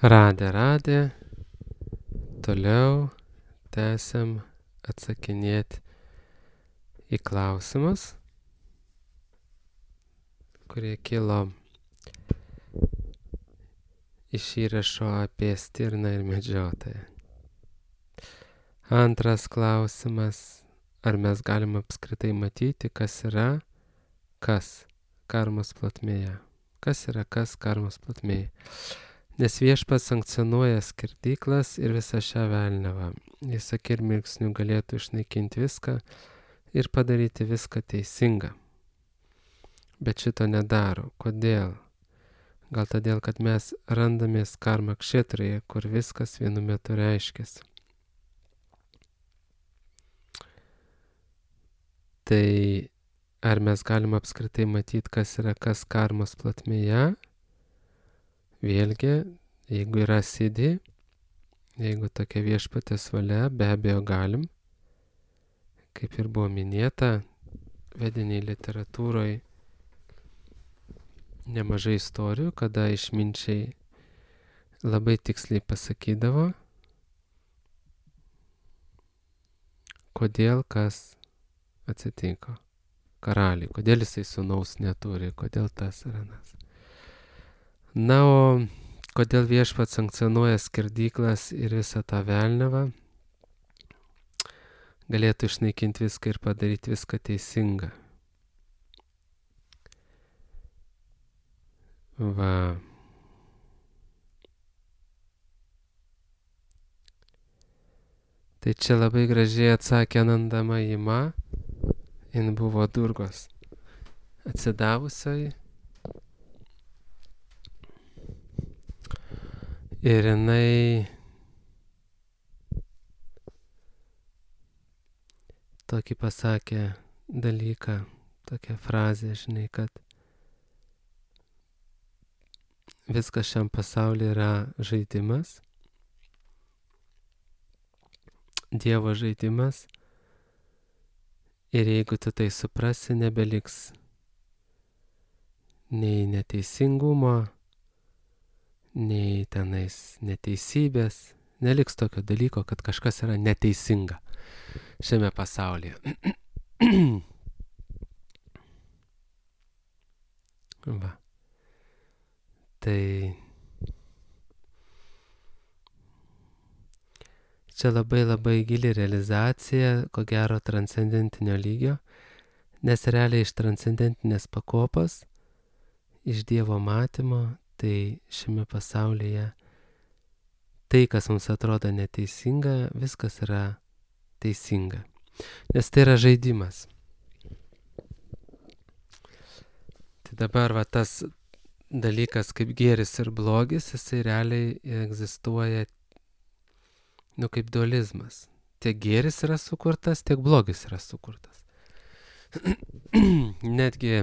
Radė, toliau tęsiam atsakinėti į klausimus, kurie kilo iš įrašo apie stirną ir medžiotoją. Antras klausimas, ar mes galim apskritai matyti, kas yra kas karmos plotmėje. Kas yra kas karmos plotmėje. Nes Viešpats sankcionuoja skerdyklas ir visą šią velniavą. Jis akimirksniu galėtų išnaikinti viską ir padaryti viską teisinga. Bet šito nedaro. Kodėl? Gal todėl, kad mes randamės karma kšetroje, kur viskas vienu metu reiškiasi. Tai ar mes galim apskritai matyti, kas yra kas karmos plotmėje? Vėlgi, jeigu yra sėdi, jeigu tokia viešpatės valia, be abejo galim. Kaip ir buvo minėta, vediniai literatūroje nemažai istorijų, kada išminčiai labai tiksliai pasakydavo, kodėl kas atsitiko karaliui, kodėl jisai sūnaus neturi, kodėl tas ir anas. Na, o kodėl Viešpats sankcionuoja skerdyklas ir visą tą velniavą, galėtų išnaikinti viską ir padaryti viską teisingą. Va. Tai čia labai gražiai atsakė Ananda Mayima, jin buvo Durgos atsidavusioji. Ir jinai tokį pasakė dalyką, tokią frazę, žinai, kad viskas šiam pasaulyje yra žaidimas, Dievo žaidimas, ir jeigu tu tai suprasi, nebeliks nei neteisingumo, nei tenais neteisybės, neliks tokio dalyko, kad kažkas yra neteisinga šiame pasaulyje. Va. Tai čia labai gili realizacija, ko gero transcendentinio lygio, nes realiai iš transcendentinės pakopos, iš Dievo matymo, tai šiame pasaulyje tai, kas mums atrodo neteisinga, viskas yra teisinga. Nes tai yra žaidimas. Tai dabar va tas dalykas kaip gėris ir blogis, jisai realiai egzistuoja, kaip dualizmas. Tiek gėris yra sukurtas, tiek blogis yra sukurtas. Netgi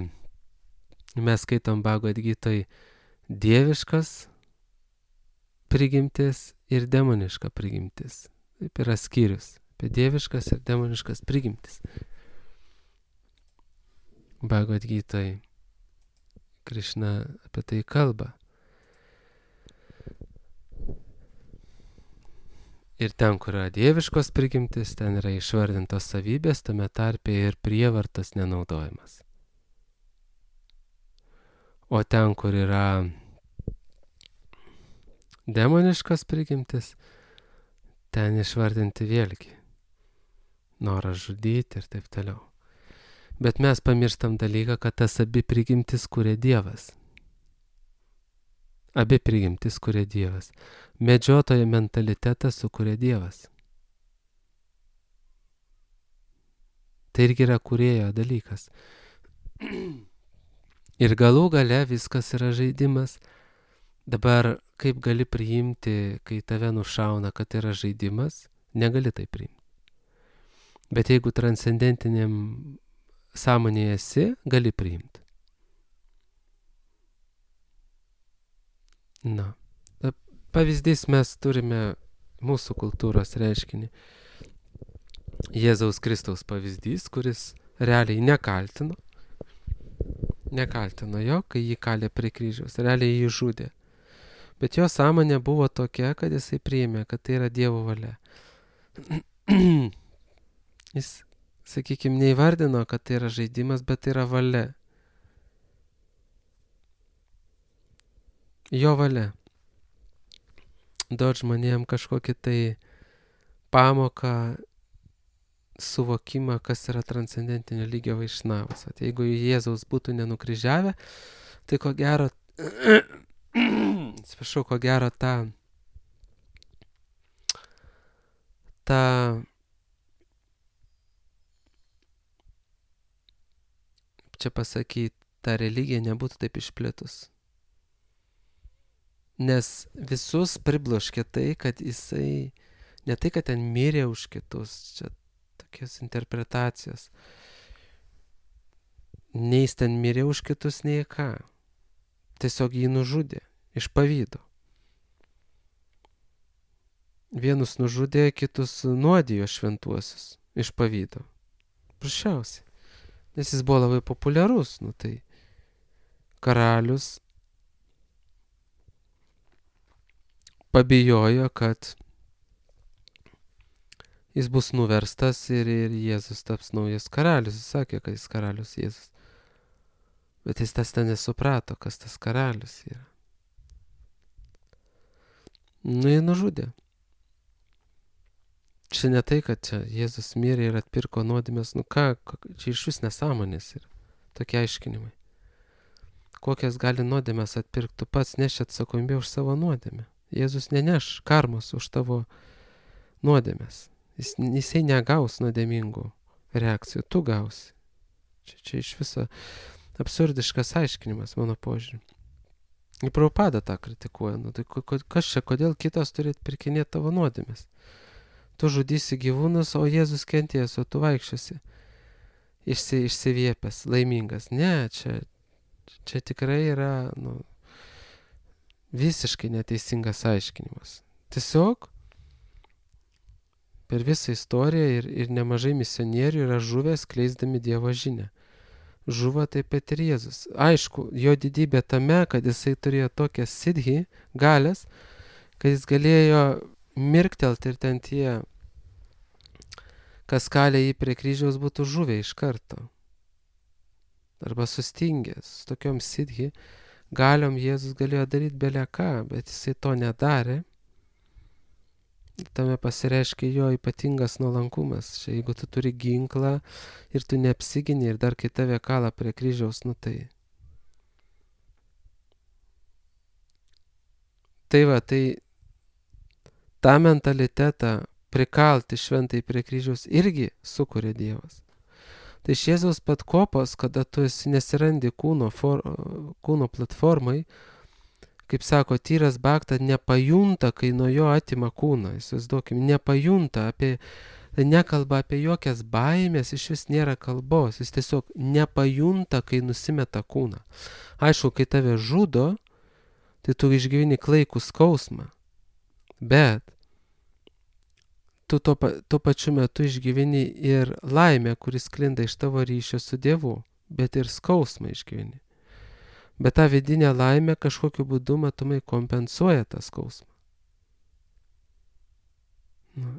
mes skaitom Bhagavad Gitoj dieviškas prigimtis ir demoniška prigimtis. Taip yra skyrius apie dieviškas ir demoniškas prigimtis. Bhagavad Gitoj Krišna apie tai kalba. Ir ten, kur yra dieviškos prigimtis, ten yra išvardintos savybės, tame tarpe ir prievartos nenaudojimas. O ten, kur yra demoniškas prigimtis, ten išvardinti vėlgi noras žudyti ir taip toliau. Bet mes pamirštam dalyką, kad tas abi prigimtis kuria Dievas. Abi prigimtis kuria Dievas. Medžiotojo mentalitetą sukuria Dievas. Tai irgi yra kūrėjo dalykas. Ir galų gale viskas yra žaidimas. Dabar kaip gali priimti, kai tave nušauna, kad yra žaidimas, negali tai priimti. Bet jeigu transcendentiniam sąmonėje esi, gali priimti. Na, pavyzdys mes turime mūsų kultūros reiškinį. Jėzaus Kristaus pavyzdys, kuris realiai nekaltino jo, kai jį kalė prie kryžiaus, realiai jį žudė. Bet jo sąmonė buvo tokia, kad jisai priėmė, kad tai yra Dievo valia. Jis, sakykime, neįvardino, kad tai yra žaidimas, bet tai yra valia. Jo valia. Duot žmonėm kažkokį tai pamoką, suvokimą, kas yra transcendentinio lygio vaišnavas. Tai jeigu Jėzaus būtų nenukryžiavę, tai ko gero, atsiprašau, ko gero čia pasakyti, ta religija nebūtų taip išplitus. Nes visus pribloškė tai, kad jisai, ne tai, kad ten mirė už kitus, čia tokios interpretacijos. Nei jis ten mirė už kitus, nei ką. Tiesiog jį nužudė iš pavydo. Vienus nužudė, kitus nuodijo šventuosius iš pavydo. Prašiausiai. Nes jis buvo labai populiarus, tai karalius pabijojo, kad jis bus nuverstas ir Jėzus taps naujas karalius. Jis sakė, kad jis karalius Jėzus. Bet jis tas ten nesuprato, kas tas karalius yra. Jį nužudė. Čia ne tai, kad čia Jėzus mirė ir atpirko nuodėmes. Čia iš vis nesąmonės yra. Tokie aiškinimai. Kokias gali nuodėmes atpirkti, tu pats neši atsakomybę už savo nuodėmę. Jėzus neneš karmos už tavo nuodėmes. Jisai negaus nuodėmingų reakcijų, tu gausi. Čia iš viso absurdiškas aiškinimas, mano požiūrį. Ir Prabhupada tą kritikuoja. Tai kas čia, kodėl kitas turi atpirkinėti tavo nuodėmes? Tu žudysi gyvūnus, o Jėzus kentės, o tu vaikščiosi išsiviepęs, laimingas. Ne, čia tikrai yra visiškai neteisingas aiškinimas. Tiesiog per visą istoriją ir nemažai misionierių yra žuvę skleisdami Dievo žinią. Žuvo taip pat ir Jėzus. Aišku, jo didybė tame, kad jisai turėjo tokią sidhi, galės, kad jis galėjo mirktelti ir ten tie, kas kalė jį prie kryžiaus, būtų žuvę iš karto. Arba sustingęs. Su tokiom sidhi galiom Jėzus galėjo daryti belę ką, bet jisai to nedarė. Tame pasireiškia jo ypatingas nuolankumas. Čia jeigu tu turi ginklą ir tu neapsigini ir dar kai tave kala prie kryžiaus, tai. Tai va, tai tą mentalitetą prikalti šventai prie kryžiaus irgi sukuria Dievas. Tai iš Jėzaus pat kopos, kada tu nesirandi kūno platformai, kaip sako, tyras bhakta nepajunta, kai nuo jo atima kūną. Įsivaizduokim, nepajunta, nekalba apie jokias baimės, iš vis nėra kalbos. Jis tiesiog nepajunta, kai nusimeta kūną. Aišku, kai tave žudo, tai tu išgyveni klaikų skausmą. Bet tu tuo pačiu metu išgyveni ir laimę, kuris sklinda iš tavo ryšio su Dievu, bet ir skausmą išgyveni. Bet tą vidinę laimę kažkokiu būdu matomai kompensuoja tą skausmą.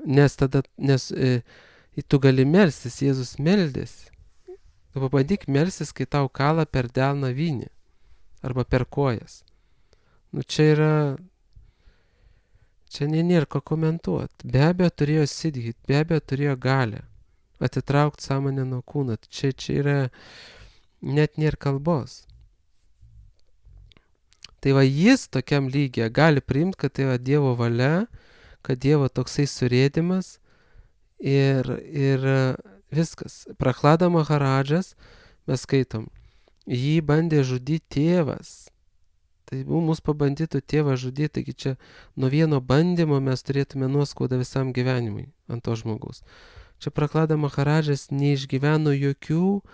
Nes tu gali melstis, Jėzus meldėsi. Tu pabandyk melstis, kai tau kala per delną vynį arba per kojas. Čia nėra ko komentuoti. Be abejo turėjo sidhit, be abejo turėjo galę atitraukti sąmonę nuo kūno. Čia yra net nėra kalbos. Tai va jis tokiam lygiai gali priimti, kad tai yra Dievo valia, kad Dievo toksai surėdimas ir viskas. Prahlada Maharadžas, mes skaitom, jį bandė žudyti tėvas. Tai mus pabandytų tėvą žudyti, taigi čia nuo vieno bandymo mes turėtume nuoskaudą visam gyvenimui ant to žmogaus. Čia Prahlada Maharadžas neišgyveno jokių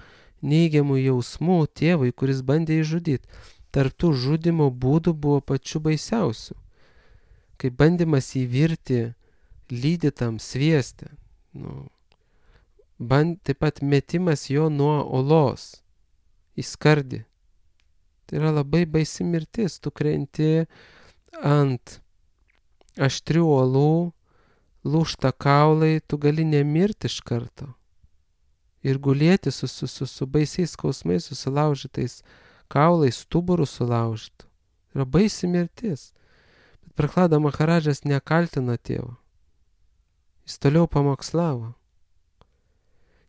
neigiamų jausmų tėvui, kuris bandė jį žudyti. Tarp tų žudimo būdų buvo pačių baisiausių. Kaip bandymas įvirti lydytam svieste. Taip pat metimas jo nuo olos į skardį. Tai yra labai baisi mirtis. Tu krenti ant aštrių uolų, lūžta kaulai, tu gali nemirti iš karto. Ir gulėti su baisiais skausmais, susilaužytais kaulais, stuburų sulaužytų. Yra baisi mirtis. Bet Prahlada Maharadžas nekaltino tėvo. Jis toliau pamokslavo.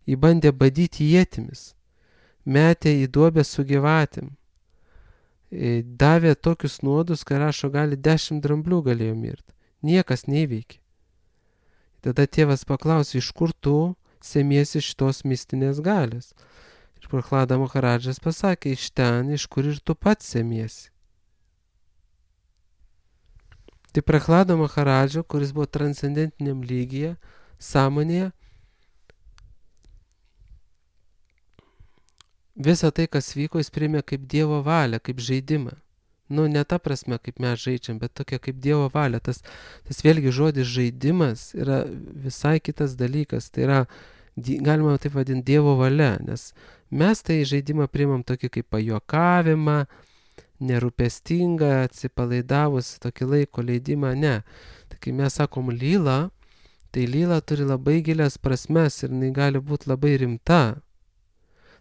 Jį bandė badyti ietimis. Metė į duobę su gyvatėm. Davė tokius nuodus, kai rašo, gali 10 dramblių galėjo mirti. Niekas neįveikė. Tada tėvas paklausė, iš kur tu semiesi šitos mistinės galios. Ir Prahlada Maharadžas pasakė, iš ten, iš kur ir tu pats semiesi. Tai Prahlada Maharadžo, kuris buvo transcendentiniam lygyje, sąmonėje, visą tai, kas vyko, jis priėmė kaip Dievo valią, kaip žaidimą. Ne ta prasme, kaip mes žaidžiam, bet tokia kaip Dievo valia. Tas vėlgi žodis žaidimas yra visai kitas dalykas. Tai yra, galima taip vadinti, Dievo valia, nes mes tai žaidimą priimam tokį kaip pajuokavimą, nerūpestingą, atsipalaidavus, tokį laiko leidimą, ne. Tai kai mes sakom lyla, tai lyla turi labai gilias prasmes ir jinai gali būti labai rimta.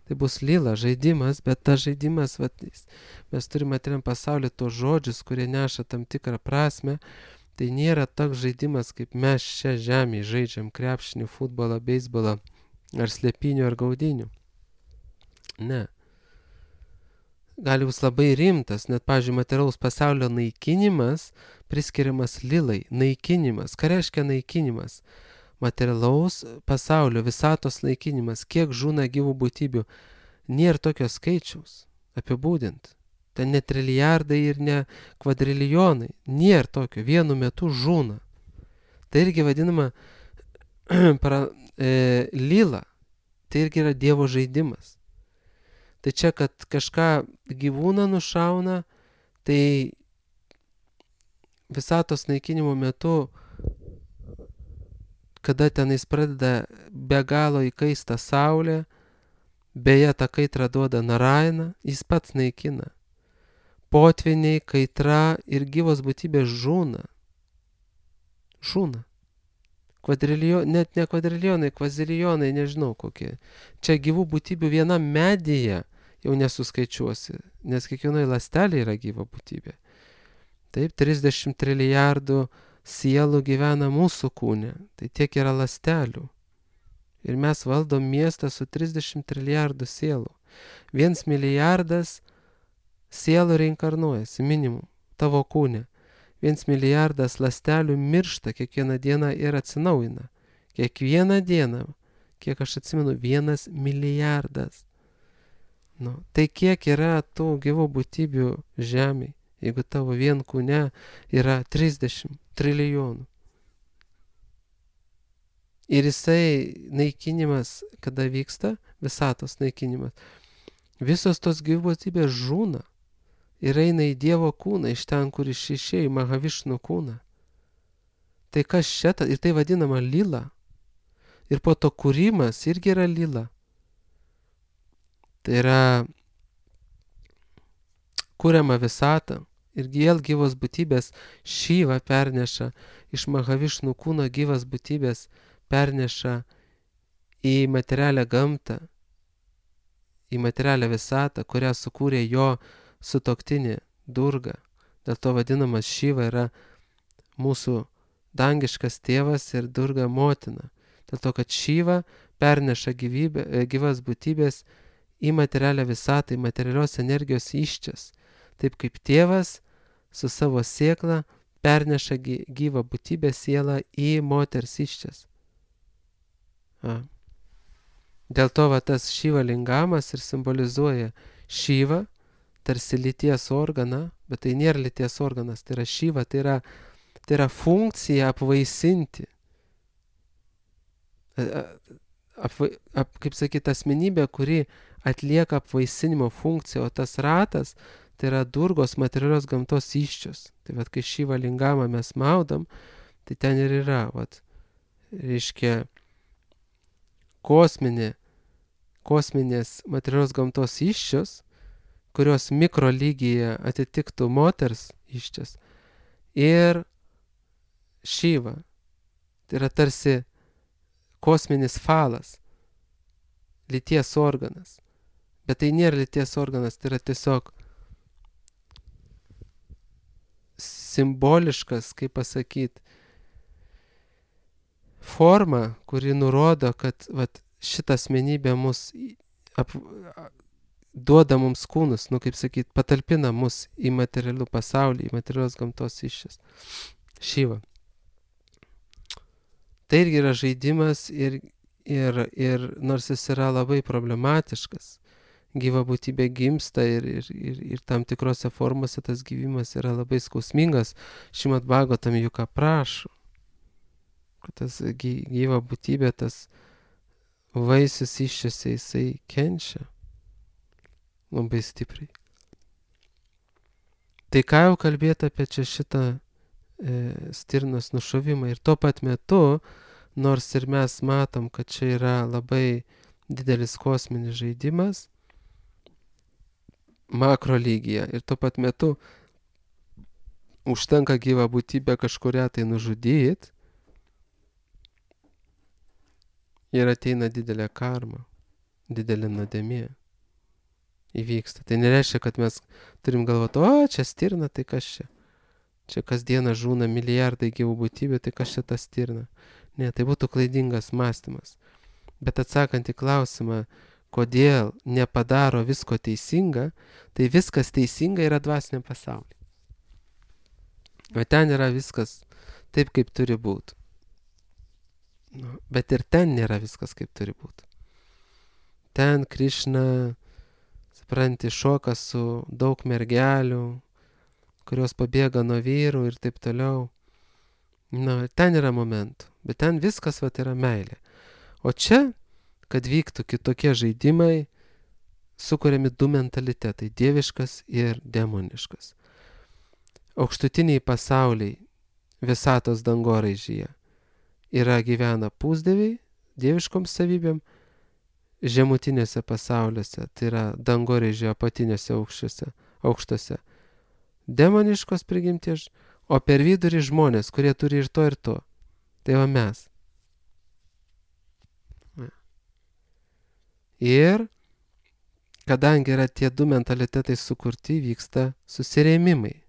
Tai bus lyla, žaidimas, bet tas žaidimas, mes turime materialiam pasaulyje tos žodžius, kurie neša tam tikrą prasme. Tai nėra toks žaidimas, kaip mes šią žemę žaidžiam krepšinį, futbolą, beisbolą, ar slėpinių, ar gaudinių. Ne. Gali bus labai rimtas, net, pavyzdžiui, materialaus pasaulio naikinimas priskiriamas lilai. Naikinimas. Ką reiškia naikinimas? Materialaus pasaulio, visatos naikinimas, kiek žūna gyvų būtybių, nėra tokio skaičiaus apibūdint. Ten ne trilijardai ir ne kvadrilijonai, nėra tokio, vienu metu žūna. Tai irgi vadinama lyla, tai irgi yra Dievo žaidimas. Tai čia, kad kažką gyvūną nušauna, tai visatos naikinimo metu, kada tenais pradeda be galo įkaista saulė, beje, tą kaitrą duoda Narayana, jis pats naikina. Potviniai, kaitra ir gyvos būtybės žūna. Žūna. Net ne kvadrilijonai, kvazilijonai, nežinau kokie. Čia gyvų būtybių viena medyje jau nesuskaičiuosi, nes kiekvienoje ląstelėje yra gyva būtybė. Taip, 30 trilijardų sielų gyvena mūsų kūne, tai tiek yra ląstelių. Ir mes valdom miestą su 30 trilijardų sielų. 1 milijardas sielų reinkarnuojasi, minimum, tavo kūne. 1 milijardas ląstelių miršta kiekvieną dieną ir atsinaujina. Kiekvieną dieną, kiek aš atsimenu, 1 milijardas. Tai kiek yra tų gyvų būtybių žemėje, jeigu tavo vien kūne yra 30 trilijonų. Ir jisai naikinimas, kada vyksta, visatos naikinimas, visos tos gyvybės žūna ir eina į Dievo kūną, iš ten, kur išėjo į Mahavišnu kūną. Tai kas čia, ir tai vadinama lyla. Ir po to kūrimas irgi yra lyla. Tai yra kuriama visata. Ir vėl gyvos būtybės Šiva perneša iš Mahavišnu kūno, gyvas būtybės perneša į materialią gamtą, į materialią visatą, kurią sukūrė jo sutuoktinė Durga. Dėl to vadinamas Šiva yra mūsų dangiškas tėvas ir Durga motina. Dėl to, kad Šiva perneša gyvas būtybės į materialią visatą, į materialios energijos iščias. Taip kaip tėvas su savo sėkla perneša gyvą būtybę sielą į moters iščias. Dėl to tas Šiva lingamas ir simbolizuoja Šivą, tarsi lyties organą, bet tai nėra lyties organas, tai yra Šiva, tai yra funkcija apvaisinti. Kaip sakyti, asmenybė, kuri atlieka apvaisinimo funkciją, o tas ratas tai yra Durgos materialios gamtos iščios. Tai kai Šiva lingamą mes maudam, tai ten ir yra, reiškia, kosminės materialios gamtos iščios, kurios mikro lygyje atitiktų moters iščias. ir Šiva. Tai yra tarsi kosminis falas, lyties organas. Bet tai nėra lyties organas, tai yra tiesiog simboliškas, kaip pasakyti, forma, kuri nurodo, kad šitą asmenybę mus duoda mums kūnus, kaip sakyt, patalpina mus į materialių pasaulį, į materialios gamtos iššės. Šiva. Tai irgi yra žaidimas ir nors jis yra labai problematiškas, gyva būtybė gimsta ir tam tikrose formose tas gyvimas yra labai skausmingas. Šrimad Bhagavatam juk aprašo, kad tas gyva būtybė, tas vaisius iššiose, jisai kenčia labai stipriai. Tai ką jau kalbėti apie čia šitą stirnos nušovimą. Ir tuo pat metu, nors ir mes matom, kad čia yra labai didelis kosminis žaidimas makro lygyje, ir tuo pat metu užtenka gyvą būtybę kažkurią tai nužudyti ir ateina didelė karma, didelė nuodėmė įvyksta. Tai nereiškia, kad mes turim galvoti, čia stirna, tai kas čia? Čia kasdieną žūna milijardai gyvų būtybių, tai kas čia ta stirna? Ne, tai būtų klaidingas mąstymas. Bet atsakant į klausimą, kodėl nepadaro visko teisinga, tai viskas teisinga yra dvasiniam pasaulyje. O ten yra viskas taip, kaip turi būti. Bet ir ten nėra viskas, kaip turi būti. Ten Krišna, supranti, šoka su daug mergelių, kurios pabėga nuo vyrų ir taip toliau. Ten yra momentų, bet ten viskas yra meilė. O čia, kad vyktų kitokie žaidimai, sukuriami du mentalitetai, dieviškas ir demoniškas. Aukštutiniai pasauliai visatos dangoraižyje gyvena pusdieviai, dieviškom savybėm, žemutinėse pasauliuose, tai yra dangoraižio apatiniuose aukštuose, demoniškos prigimties, o per vidurį žmonės, kurie turi ir to. Tai va mes. Ir kadangi yra tie du mentalitetai sukurti, vyksta susirėmimai.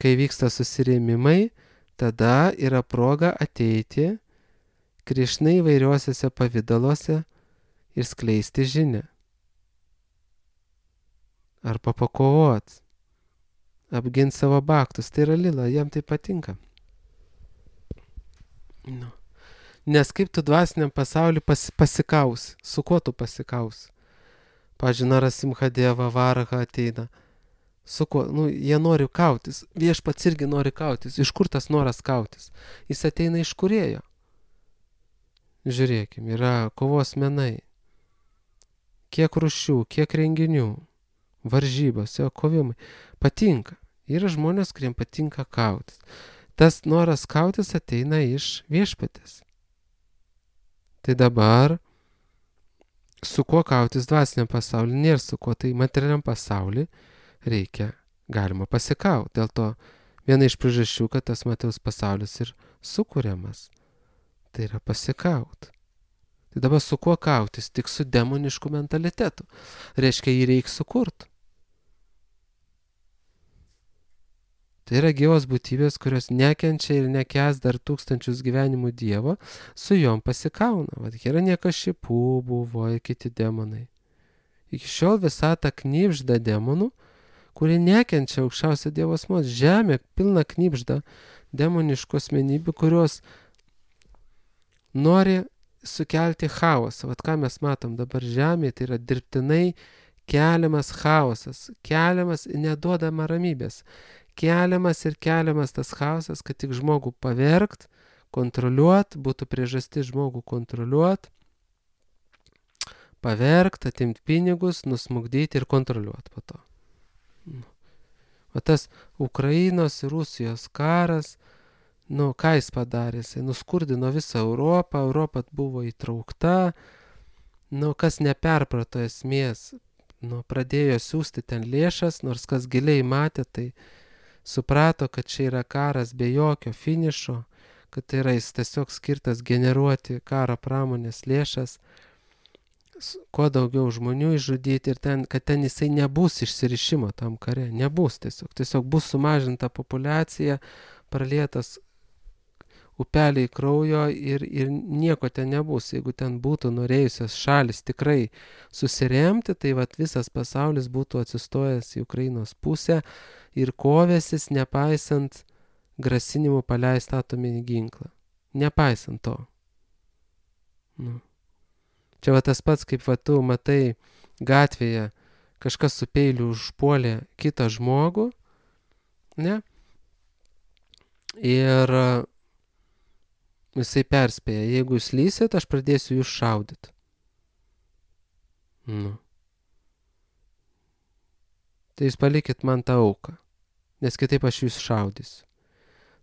Kai vyksta susirėmimai, tada yra proga ateiti Krišnai įvairiuosiuose pavidaluose ir skleisti žinią. Arba pakovot, apginti savo baktus. Tai yra lila, jam tai patinka. Nes kaip tu dvasiniam pasauliu pasikausi, su kuo tu pasikausi? Pavyzdžiui, Narasimhadeva Varaha ateina. Su kuo? Jie nori kautis. Viešpats irgi nori kautis. Iš kur tas noras kautis? Jis ateina iš Kūrėjo. Žiūrėkim, yra kovos menai. Kiek rūšių, kiek renginių, varžybos, kovimai. Patinka. Yra žmonės, kuriems patinka kautis. Tas noras kautis ateina iš viešpatės. Tai dabar su kuo kautis dvasiniam pasauliu nėra su kuo, tai materialiam pasauliu galima pasikauti. Dėl to viena iš priežasčių, kad tas materialus pasaulis ir sukuriamas. Tai yra pasikauti. Tai dabar su kuo kautis? Tik su demonišku mentalitetu. Reiškia, jį reikia sukurti. Tai yra gyvos būtybės, kurios nekenčia ir nekęs dar tūkstančius gyvenimų Dievo, su jom pasikauna. Hiranyakšipų buvo ir kiti demonai. Iki šiol visata knibžda demonų, kurie nekenčia aukščiausio Dievo asmens. Žemė pilna knibžda demoniškų asmenybių, kurios nori sukelti chaosą. Ką mes matom dabar žemėje, tai yra dirbtinai keliamas chaosas, keliamas neduodama ramybės. Keliamas tas chaosas, kad tik žmogų pavergt, kontroliuot, būtų priežastis žmogų kontroliuot, pavergt, atimti pinigus, nusmugdyti ir kontroliuot po to. O tas Ukrainos ir Rusijos karas, ką jis padarė? Jis nuskurdino visą Europą, Europa buvo įtraukta, kas neperprato esmės, pradėjo siūsti ten lėšas, nors kas giliai matė, tai suprato, kad čia yra karas be jokio finišo, kad tai yra jis tiesiog skirtas generuoti karo pramonės lėšas, kuo daugiau žmonių išžudyti ir kad ten jisai nebus išsirišimo tam kare, nebus tiesiog bus sumažinta populiacija, pralietas upeliai kraujo ir nieko ten nebus. Jeigu ten būtų norėjusios šalis tikrai susiremti, tai visas pasaulis būtų atsistojęs į Ukrainos pusę ir kovėsis nepaisant grasinimų paleisti atominį ginklą. Nepaisant to. Čia tas pats, kaip tu matai gatvėje, kažkas su peiliu užpuolė kitą žmogų, ne? Ir jisai perspėja, jeigu jūs lysit, aš pradėsiu jūs šaudyti. Tai jūs palikit man tą auką, nes kitaip aš jūs šaudysiu.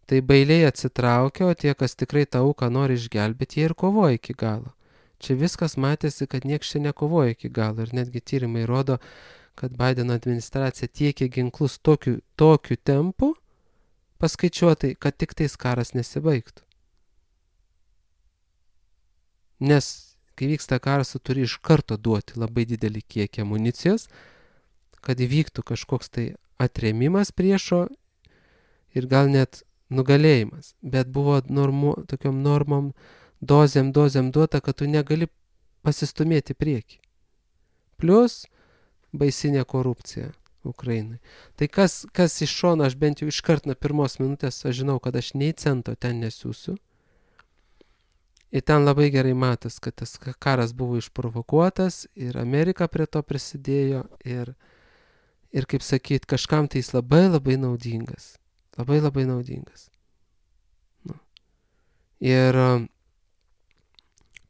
Tai bailiai atsitraukia, o tie, kas tikrai tą auką nori išgelbėti, jie ir kovoja iki galo. Čia viskas matėsi, kad nieks čia nekovoja iki galo ir netgi tyrimai rodo, kad Bideno administracija tiekė ginklus tokiu tempu, paskaičiuotai, kad tik tais karas nesibaigtų. Nes kai vyksta karas, tu turi iš karto duoti labai didelį kiekį amunicijos, kad įvyktų kažkoks tai atrėmimas priešo ir gal net nugalėjimas. Bet buvo tokiom normom, dozėm duota, kad tu negali pasistumėti prieki. Plius baisinė korupcija Ukrainai. Tai kas iš šono, aš bent jau iškart nuo pirmos minutės, aš žinau, kad aš nei cento ten nesiūsiu. Ir ten labai gerai matas, kad tas karas buvo išprovokuotas ir Amerika prie to prisidėjo ir kaip sakyt, kažkam tai jis labai naudingas. Labai naudingas. Ir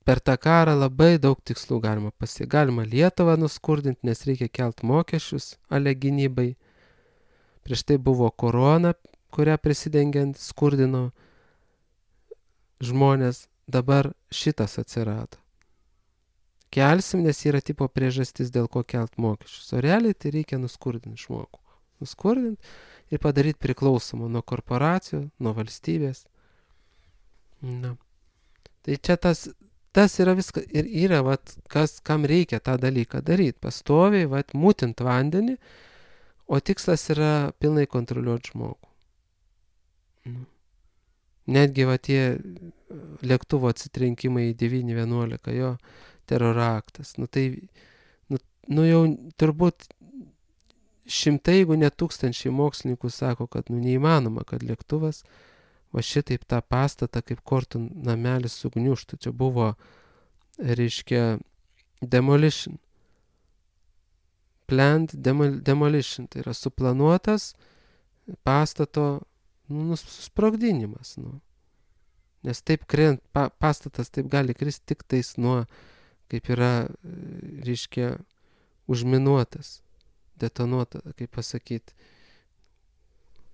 per tą karą labai daug tikslų galima pasiekti. Galima Lietuvą nuskurdinti, nes reikia kelt mokesčius ale gynybai. Prieš tai buvo korona, kurią prisidengiant skurdino žmonės. Dabar šitas atsirado. Kelsim, nes yra tipo priežastis, dėl ko kelt mokesčius. O realiai tai reikia nuskurdinti žmogų. Nuskurdinti ir padaryti priklausomą nuo korporacijų, nuo valstybės. Tai čia tas yra viskas. Ir yra, kam reikia tą dalyką daryti. Pastoviai, mutint vandenį, o tikslas yra pilnai kontroliuoti žmogų. Netgi tie lėktuvo atsitrenkimai į 911, jo teroro aktas. Jau turbūt šimtai, jeigu ne tūkstančiai mokslininkų sako, kad neįmanoma, kad lėktuvas šitaip tą pastatą kaip kortų namelis sugniužtų. Čia buvo, reiškia, demolition. Planned demolition. Tai yra suplanuotas pastato susprogdinimas. Nes taip pastatas taip gali kristi tik tais nuo, kaip yra, reiškia, užminuotas, detonuotas, kaip pasakyti,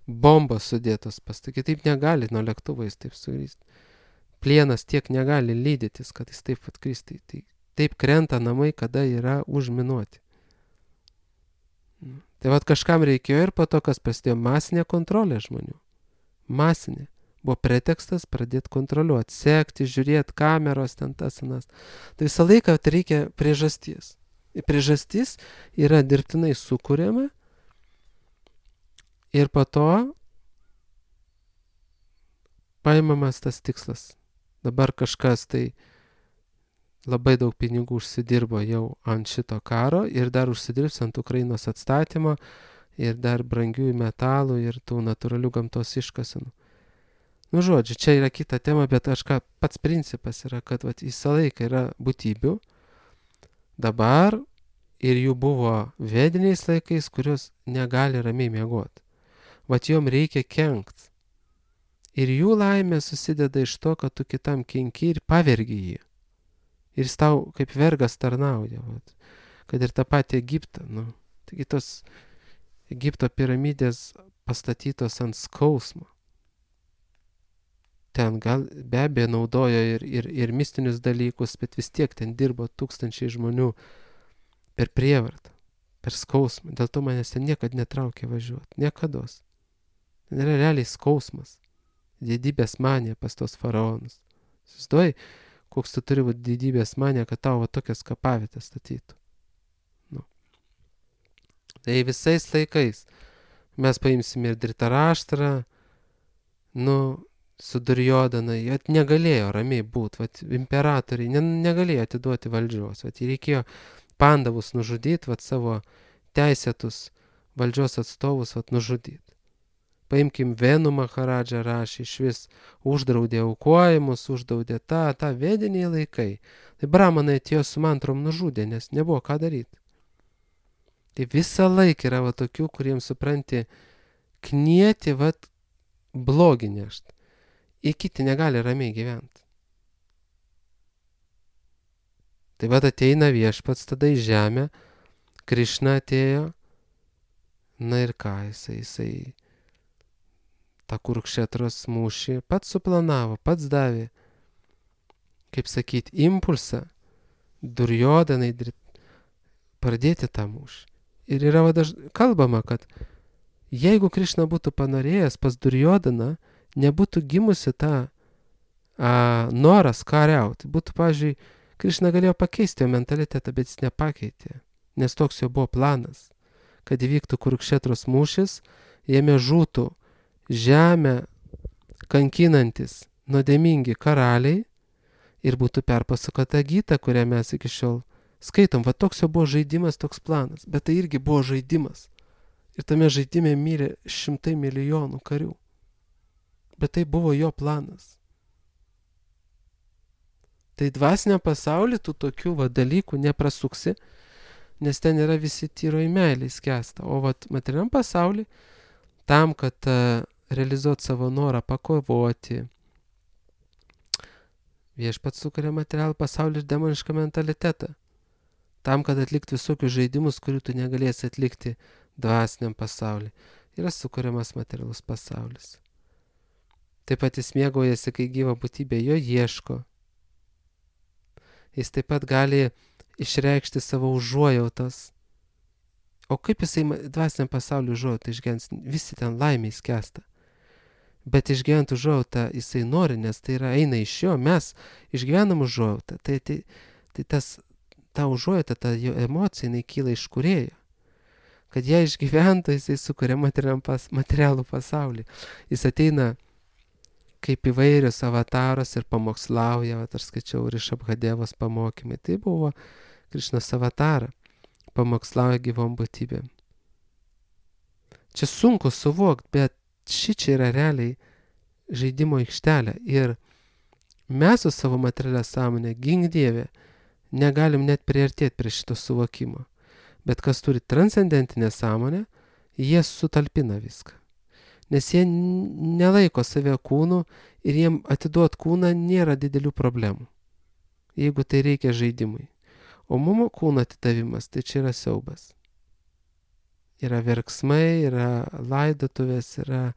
bombos sudėtos pastatyti. Taip negali nuo lėktuvo jis taip sukristi. Plienas tiek negali lydytis, kad jis taip atkristi. Taip krenta namai, kada yra užminuoti. Tai kažkam reikėjo ir po to, kas prasidėjo masinė kontrolė žmonių. Masinė. Buvo pretekstas pradėti kontroliuoti, sekti, žiūrėti, kameros, ten tas anas. Tai visą laiką reikia priežasties. Priežastis yra dirbtinai sukuriama ir po to paimamas tas tikslas. Dabar kažkas tai labai daug pinigų užsidirbo jau ant šito karo ir dar užsidirbs ant Ukrainos atstatymo ir dar brangiųjų metalų ir tų natūralių gamtos iškasenų. Žodžiu, čia yra kita tema, bet pats principas yra, kad visą laiką yra būtybių dabar ir jų buvo vediniais laikais, kurios negali ramiai miegoti. Jom reikia kenkt. Ir jų laimė susideda iš to, kad tu kitam kenki ir pavergi jį. Ir jis tau kaip vergas tarnauja. Kad ir tą patį Egiptą. Taigi tos Egipto piramidės pastatytos ant skausmo. Ten gal be abejo naudojo ir mistinius dalykus, bet vis tiek ten dirbo tūkstančiai žmonių per prievartą, per skausmą. Dėl to manęs ten niekad netraukė važiuoti. Niekados. Ten yra realiai skausmas. Didybės manija pas tos faraonus. Susiduoji, koks tu turi būti didybės manija, kad tau tokias kapavietės statytų. Nu. Tai visais laikais mes paimsime ir Dhritarashtrą, su Duryodhana, jie negalėjo ramiai būti, imperatoriai negalėjo atiduoti valdžios, jį reikėjo Pandavus nužudyti, savo teisėtus valdžios atstovus nužudyti. Paimkim Venu Maharadžą rašė, iš vis uždraudė aukojimus, uždraudė tą vediniai laikai. Tai bramanai atėjo su mantrom nužudė, nes nebuvo ką daryti. Tai visą laiką yra tokių, kuriems supranti, knieti blogį nešt. Ir kiti negali ramiai gyventi. Tai ateina viešpats tada į žemę, Krišna atėjo, ir ką, jisai tą Kurukšetros mūšį pats suplanavo, pats davė, kaip sakyti, impulsą Duryodhanai pradėti tą mūšį. Ir yra kalbama, kad jeigu Krišna būtų panorėjęs pas Duryodhaną, nebūtų gimusi tą noras kariauti. Būtų, pavyzdžiui, Krišna galėjo pakeisti jo mentalitetą, bet jis nepakeitė, nes toks jo buvo planas, kad įvyktų Kurukšetros mūšis, jame žūtų žemę kankinantis nuodėmingi karaliai ir būtų perpasakota Gita, kurią mes iki šiol skaitom. Toks jo buvo žaidimas, toks planas, bet tai irgi buvo žaidimas. Ir tame žaidime mirė 100 milijonų karių. Bet tai buvo jo planas. Tai dvasiniam pasauly tu tokių dalykų neprasuksi, nes ten yra visi tyroj meilė skęsta. O materialiam pasauly, tam, kad realizuoti savo norą pakovoti, viešpats sukuria materialų pasaulį ir demonišką mentalitetą. Tam, kad atlikti visokius žaidimus, kurių tu negalėsi atlikti dvasiniam pasauly, yra sukuriamas materialus pasaulis. Taip pat jis mėgaujasi, kai gyva būtybė jo ieško. Jis taip pat gali išreikšti savo užuojautas. O kaip jisai dvasiniam pasauliu užuojautą išgyvens? Visi ten laimiai skęsta. Bet išgyvent užuojautą jisai nori, nes tai eina iš jo. Mes išgyvenam užuojautą. Tai ta užuojauta, ta jo emocija, jinai kyla iš kūrėjo. Kad ją išgyventų, jisai sukuria materialų pasaulį. Jis ateina kaip įvairius avataros ir pamokslauja. Aš skaičiau Rišabhadevos pamokymai. Tai buvo Krišnos avatara. Pamokslauja gyvom būtybėm. Čia sunku suvokti, bet šičia yra realiai žaidimo aikštelė. Ir mes su savo materialia sąmonė, gink Dieve, negalim net priartėti prie šito suvokimo. Bet kas turi transcendentinę sąmonę, jie sutalpina viską. Nes jie nelaiko save kūnų ir jiem atiduot kūną nėra didelių problemų, jeigu tai reikia žaidimui. O mum kūno atidavimas, tai čia yra siaubas. Yra verksmai, yra laidotuvės, yra,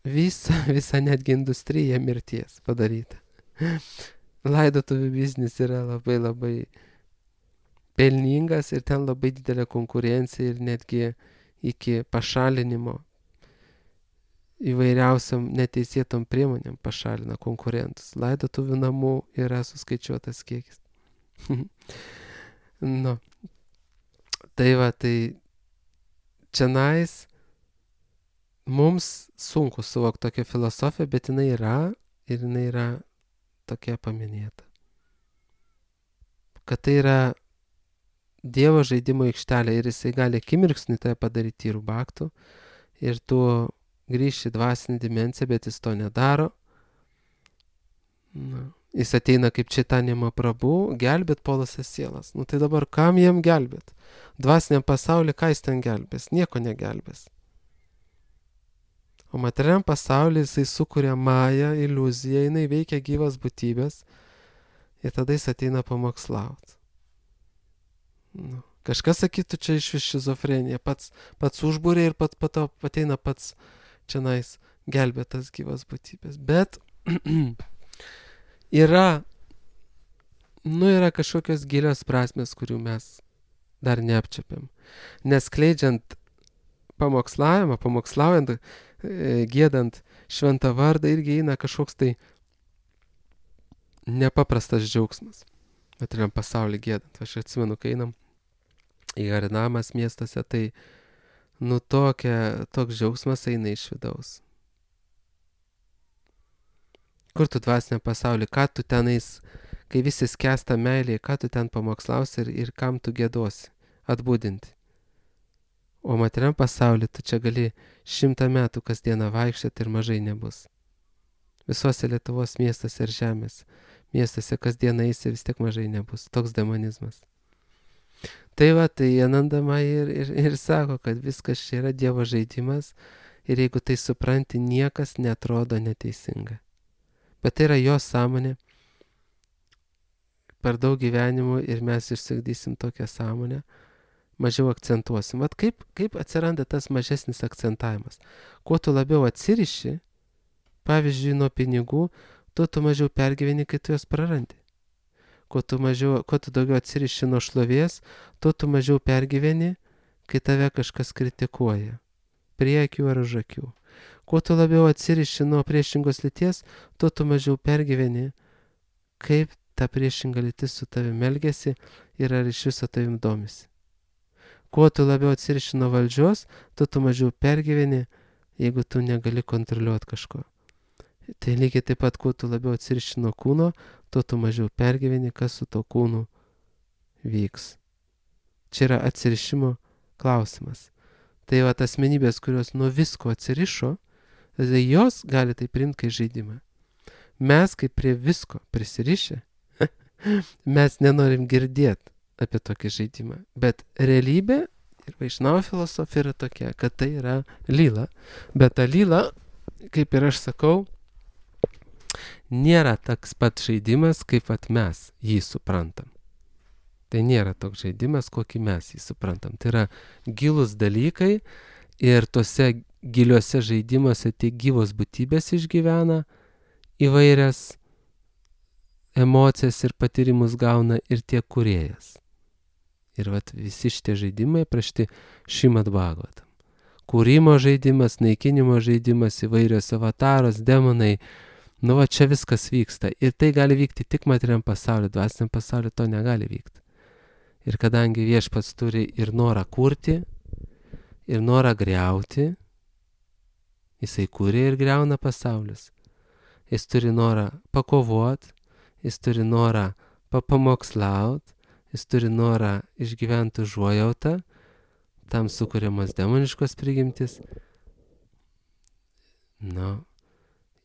visa netgi industrija mirties padaryta. Laidotuvių biznis yra labai labai pelningas ir ten labai didelė konkurencija ir netgi iki pašalinimo įvairiausiam neteisėtom priemonėm pašalina konkurentus. Laidotuvių namų yra suskaičiuotas kiekis. Tai čionais mums sunku suvokti tokią filosofiją, bet jinai yra tokia paminėta. Kad tai yra Dievo žaidimo aikštelė ir jisai gali akimirksnį tai padaryti tyrų baktų ir tu grįžti į dvasinį dimensiją, bet jis to nedaro. Jis ateina kaip Čaitanija Mahaprabhu, gelbėt puolusias sielas. Tai dabar kam jiem gelbėt? Dvasiniam pasauly ką jis ten gelbės? Nieko negelbės. O materialiam pasauly jisai sukuria mają, iliuziją, jinai veikia gyvas būtybės ir tada jis ateina pamokslauti. Kažkas sakytų, čia iš šizofrenija, pats užbūrė ir po to ateina pats čionais gelbėtas gyvas būtybės. Bet yra kažkokios gilios prasmės, kurių mes dar neapčiapiam. Nes skleidžiant pamoklaujant, giedant šventą vardą irgi eina kažkoks tai nepaprastas džiaugsmas. Materialiam pasaulį giedant. Aš atsimenu, kai einam į Harinamas miestuose, tai toks džiaugsmas eina iš vidaus. Kur tu dvasiniam pasaulį, ką tu tenais, kai visi skęsta meilėje, ką tu ten pamokslausi ir kam tu gėdosi, atbudinti. O materialiam pasaulį tu čia gali 100 metų kasdieną vaikščioti ir mažai nebus. Visuose Lietuvos miestuose ir žemės miestuose kasdieną eisi vis tiek mažai nebus. Toks demonizmas. Tai Anandama ir sako, kad viskas čia yra Dievo žaidimas ir jeigu tai supranti, niekas netrodo neteisinga. Bet tai yra jo sąmonė. Per daug gyvenimų ir mes išsigdysim tokią sąmonę, mažiau akcentuosim. Vat kaip atsiranda tas mažesnis akcentavimas. Kuo tu labiau atsiriši, pavyzdžiui, nuo pinigų, tuo tu mažiau pergyveni, kai tu juos prarandi. Kuo tu daugiau atsiriši nuo šlovės, tuo tu mažiau pergyveni, kai tave kažkas kritikuoja. Prie akių ar už akių. Kuo tu labiau atsiriši nuo priešingos lyties, tuo tu mažiau pergyveni, kaip ta priešinga lytis su tavim elgiasi ir ar iš viso tavim domisi. Kuo tu labiau atsiriši nuo valdžios, tuo tu mažiau pergyveni, jeigu tu negali kontroliuoti kažko. Tai lygiai taip pat, kuo tu labiau atsiriši nuo kūno, tuo tu mažiau pergyveni, kas su to kūnu vyks. Čia yra atsirišimo klausimas. Tai asmenybės, kurios nuo visko atsirišo, tai jos gali tai priimti kaip žaidimą. Mes kaip prie visko prisirišę, mes nenorim girdėti apie tokį žaidimą. Bet realybė ir Vaišnavo filosofija yra tokia, kad tai yra lila. Bet ta lila, kaip ir aš sakau, nėra toks pat žaidimas, kaip mes jį suprantam. Tai nėra toks žaidimas, kokį mes jį suprantam. Tai yra gilūs dalykai ir tose giliuose žaidimuose tiek gyvos būtybės išgyvena įvairias emocijas ir patyrimus gauna ir tiek kūrėjas. Ir visi šitie žaidimai aprašti Šrimad Bhagavatam. Kūrimo žaidimas, naikinimo žaidimas, įvairios avataros, demonai. Čia viskas vyksta. Ir tai gali vykti tik materialiam pasauliu, dvasiniam pasauliu to negali vykti. Ir kadangi Viešpats turi ir norą kurti, ir norą griauti, jisai kūrė ir griauna pasaulius. Jis turi norą pakovoti, jis turi norą papamokslauti, jis turi norą išgyventi užuojautą, tam sukuriamas demoniškos prigimtis.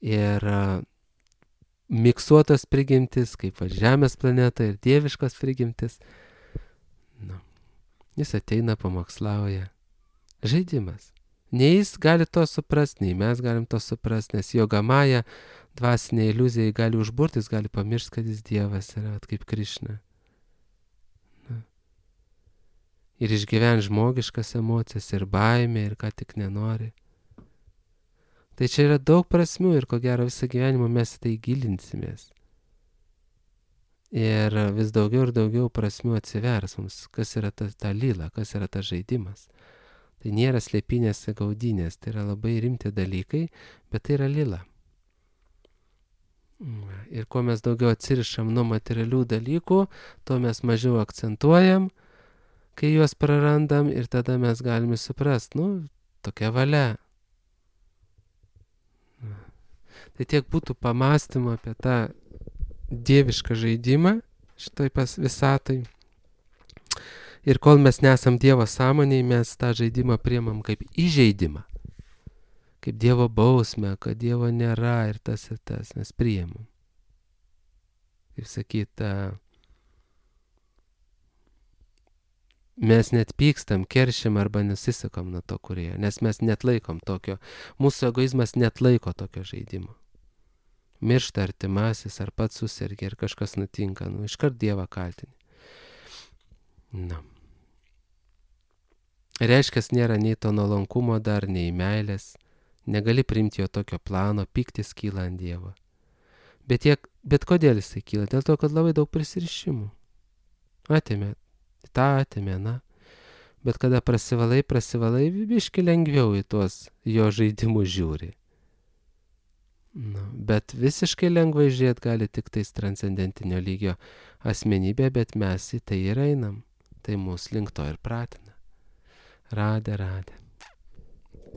Ir miksuotos prigimtis, kaip Žemės planeta ir dieviškos prigimtis. Jis ateina, pamokslauja. Žaidimas. Nei jis gali to suprasti, nei mes galim to suprasti, nes Jogamaja dvasinė iliuzija gali užburti, jis gali pamiršti, kad jis Dievas yra, kaip Krišna. Ir išgyventi žmogiškas emocijas, ir baimę, ir ką tik nenori. Tai čia yra daug prasmių ir ko gero visą gyvenimą mes tai gilinsimės. Ir vis daugiau ir daugiau prasmių atsivers mums, kas yra ta lila, kas yra tas žaidimas. Tai nėra slėpinės gaudynės, tai yra labai rimti dalykai, bet tai yra lila. Ir kuo mes daugiau atsirišam nuo materialių dalykų, tuo mes mažiau akcentuojam, kai juos prarandam ir tada mes galime suprasti, tokia valia. Tai tiek būtų pamąstymo apie tą dievišką žaidimą šitoj visatai. Ir kol mes nesam Dievo sąmonėj, mes tą žaidimą priimam kaip įžeidimą. Kaip Dievo bausmę, kad Dievo nėra ir tas mes priimam. Kaip sakyta, mes net pykstam, keršiam arba nesisakam nuo to kūrėjo, nes mes net laikom tokio, mūsų egoizmas net laiko tokio žaidimo. Miršta artimasis, ar pats susirgia, ir kažkas nutinka, iškart Dievą kaltini. Reiškia, nėra nei to nuolankumo dar, nei meilės, negali priimti jo tokio plano, pyktis kyla ant Dievo. Bet kodėl jisai kyla? Dėl to, kad labai daug prisirišimų. Atėmė, Bet kada prasivalai, biški lengviau į tuos jo žaidimus žiūri. Bet visiškai lengvai žiūrėt gali tik tais transcendentinio lygio asmenybė, bet mes į tai ir einam. Tai mūsų link to ir pratina. Radė.